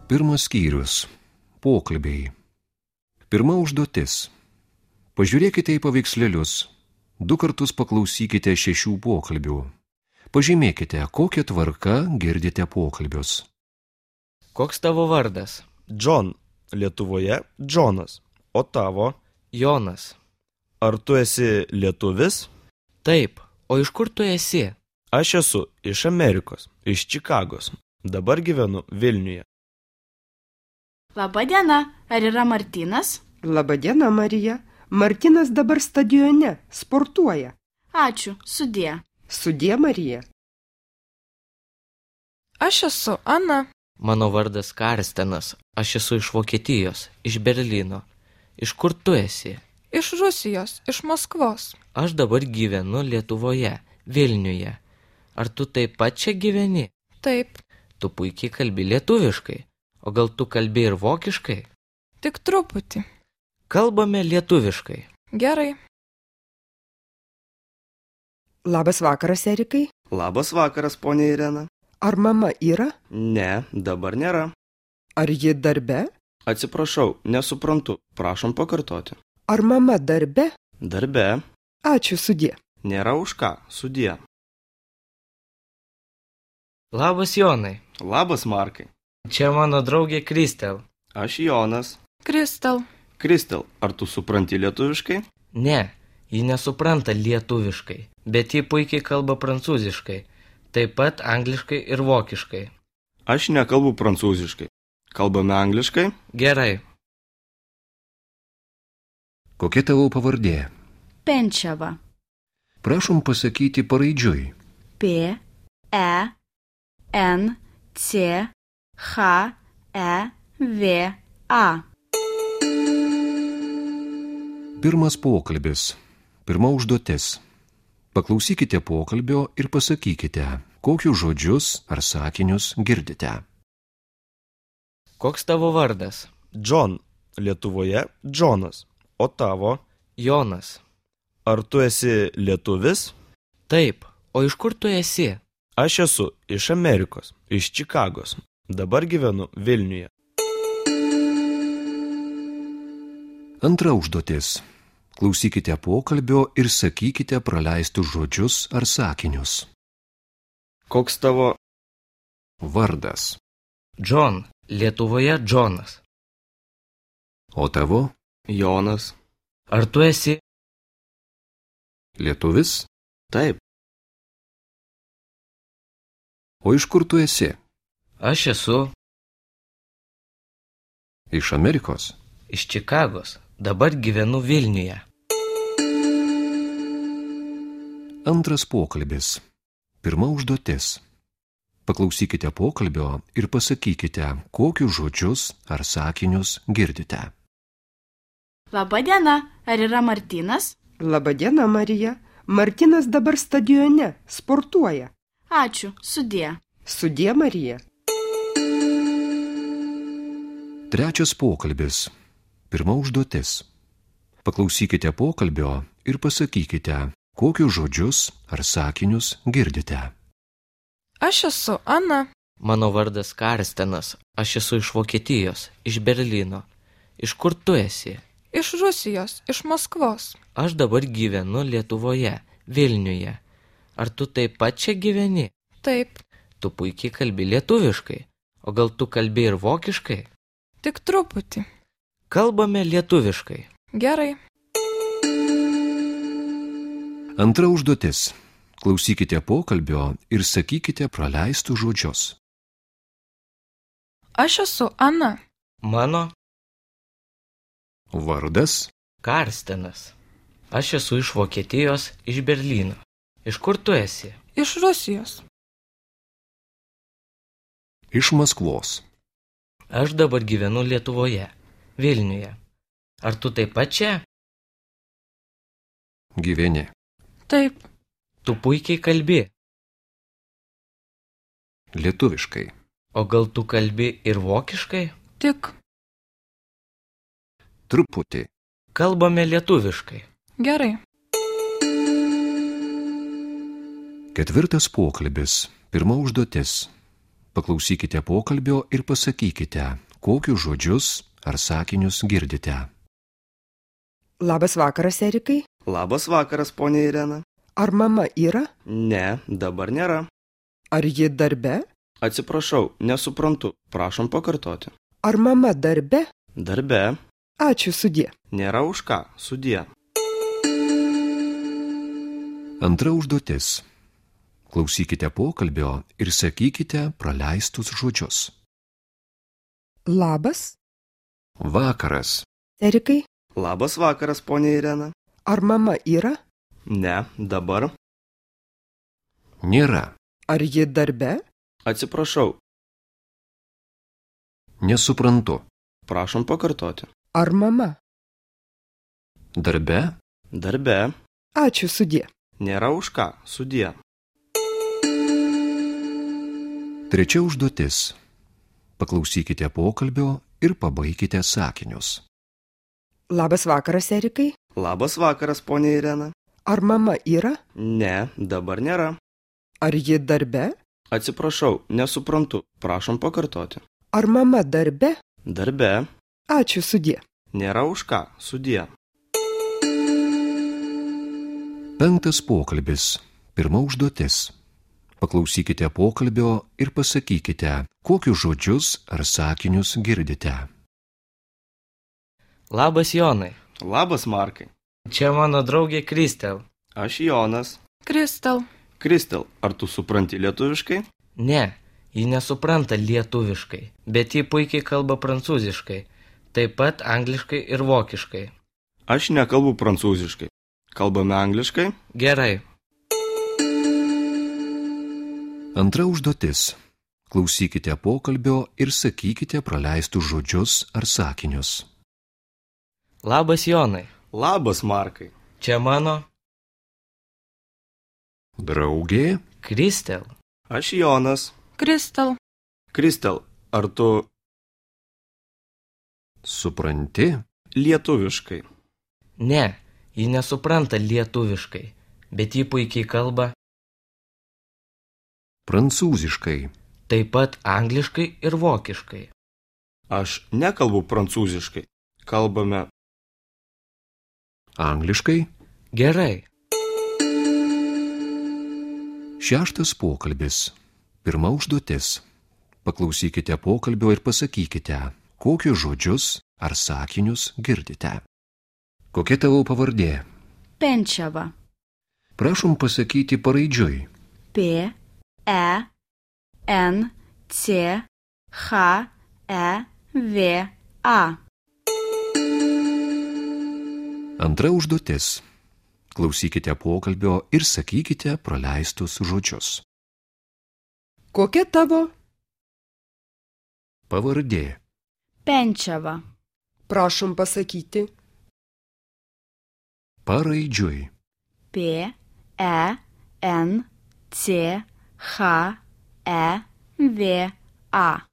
Pirmas skyrius. Pokalbiai. Pirma užduotis. Pažiūrėkite į paveikslėlius. 2 kartus paklausykite 6 pokalbių. Pažymėkite, kokią tvarką girdite pokalbius. Koks tavo vardas? John. Lietuvoje Džonas. O tavo? Jonas. Ar tu esi lietuvis? Taip, o iš kur tu esi? Aš esu iš Amerikos, iš Čikagos. Dabar gyvenu Vilniuje. Labadiena, ar yra Martynas? Labadiena, Marija. Martynas dabar stadione, sportuoja. Ačiū, sudie. Sudie, Marija. Aš esu Ana. Mano vardas Karstenas, aš esu iš Vokietijos, iš Berlyno. Iš kur tu esi? Iš Rusijos, iš Maskvos. Aš dabar gyvenu Lietuvoje, Vilniuje. Ar tu taip pat čia gyveni? Taip, Tu puikiai kalbi lietuviškai. O gal tu kalbi ir vokiškai? tik truputį. Kalbame lietuviškai. Gerai. Labas vakaras, Erikai. Labas vakaras, ponė Irena. Ar mama yra? Ne, dabar nėra. Ar ji darbe? Atsiprašau, nesuprantu. Prašom pakartoti. Ar mama darbe? Darbe. Ačiū, sudie. Nėra už ką. Sudie. Labas Jonai. Labas, Markai. Čia mano draugė Kristel. Aš Jonas. Kristal. Kristel, ar tu supranti lietuviškai? Ne, ji nesupranta lietuviškai, bet ji puikiai kalba prancūziškai, taip pat angliškai ir vokiškai. Aš nekalbu prancūziškai. Kalbame angliškai? Gerai. Kokia tavo pavardė? Penčiava. Prašom pasakyti paraidžiui. P, E, N, C, H, E, V, A. Pirmas pokalbis. Pirma užduotis. Paklausykite pokalbio ir pasakykite, kokius žodžius ar sakinius girdite. Koks tavo vardas? John. Lietuvoje Džonas. O tavo? Jonas. Ar tu esi lietuvis? Taip, o iš kur tu esi? Aš esu iš Amerikos, iš Čikagos. Dabar gyvenu Vilniuje. Antra užduotis. Klausykite pokalbio ir sakykite praleistus žodžius ar sakinius. Koks tavo? Vardas. John. Lietuvoje Džonas. O tavo? Jonas. Ar tu esi? Lietuvis? Taip. O iš kur tu esi? Aš esu Iš Amerikos? iš Čikagos. Dabar gyvenu Vilniuje. Antras pokalbis. Pirma užduotis. Paklausykite pokalbio ir pasakykite, kokius žodžius ar sakinius girdite. Labadiena, ar yra Martynas? Labadiena, Marija. Martynas dabar stadione, sportuoja. Ačiū, sudie. Sudie, Marija. Trečias pokalbis. Pirma užduotis. Paklausykite pokalbio ir pasakykite, kokius žodžius ar sakinius girdite. Aš esu Ana. Mano vardas Karstenas, aš esu iš Vokietijos, iš Berlyno. Iš kur tu esi? Iš Rusijos, iš Maskvos. Aš dabar gyvenu Lietuvoje, Vilniuje. Ar tu taip pat čia gyveni? Taip, Tu puikiai kalbi lietuviškai. O gal tu kalbi ir vokiškai? tik truputį. Kalbame lietuviškai. Gerai. Antra užduotis. Klausykite pokalbio ir sakykite praleistus žodžius. Aš esu Ana. Mano Vardas. Karstenas. Aš esu iš Vokietijos, iš Berlyno. Iš kur tu esi? Iš Rusijos. Iš Maskvos. Aš dabar gyvenu Lietuvoje, Vilniuje. Ar tu taip pat čia? Gyveni. Taip, Tu puikiai kalbi. Lietuviškai. O gal tu kalbi ir vokiškai? tik. Truputį. Kalbame lietuviškai. Gerai. Ketvirtas pokalbis. Pirma užduotis. Paklausykite pokalbio ir pasakykite, kokius žodžius ar sakinius girdite. Labas vakaras, Erikai. Labas vakaras, ponė Irena. Ar mama yra? Ne, dabar nėra. Ar ji darbe? Atsiprašau, nesuprantu. Prašom pakartoti. Ar mama darbe? Darbe. Ačiū sudie. Nėra už ką. Sudie. Antra užduotis. Klausykite pokalbio ir sakykite praleistus žodžius. Labas, Vakaras. Erikai. Labas vakaras, ponė Irena. Ar mama yra? Ne, dabar. Nėra. Ar ji darbe? Atsiprašau. Nesuprantu. Prašom pakartoti. Ar mama? Darbe. Darbe. Ačiū sudie. Nėra už ką. Sudie. Trečia užduotis. Paklausykite pokalbio ir pabaikite sakinius. Labas vakaras, Erikai. Labas vakaras, ponė Irena. Ar mama yra? Ne, dabar nėra. Ar ji darbe? Atsiprašau, nesuprantu. Prašom pakartoti. Ar mama darbe? Darbe. Ačiū sudie. Nėra už ką. Sudie. Penktas pokalbis. Pirma užduotis. Paklausykite pokalbio ir pasakykite, kokius žodžius ar sakinius girdite. Labas Jonai, Labas, Markai. čia mano draugė Kristel. Aš Jonas. Kristal. Kristel, ar tu supranti lietuviškai? Ne, ji nesupranta lietuviškai, bet ji puikiai kalba prancūziškai, taip pat angliškai ir vokiškai. Aš nekalbu prancūziškai. Kalbame angliškai? Gerai, Antra užduotis. Klausykite pokalbio ir sakykite praleistus žodžius ar sakinius. labas Jonai, Labas, Markai. čia mano Draugė. Kristel. Aš Jonas. Kristal. Kristel, ar tu Supranti? lietuviškai? Ne, ji nesupranta lietuviškai, bet ji puikiai kalba Prancūziškai. taip pat angliškai ir vokiškai. Aš nekalbu prancūziškai. Kalbame Angliškai. Gerai, Šeštas pokalbis. Pirma užduotis. Paklausykite pokalbio ir pasakykite, kokius žodžius ar sakinius girdite. Kokia tavo pavardė? Penčiava. Prašom pasakyti paraidžiui. P, E, N, C, H, E, V, A. Antra užduotis. Klausykite pokalbio ir sakykite praleistus žodžius. Kokia tavo? Pavardė. Penčiava. Prašom pasakyti. Paraidžiui. P, E, N, C, H, E, V, A.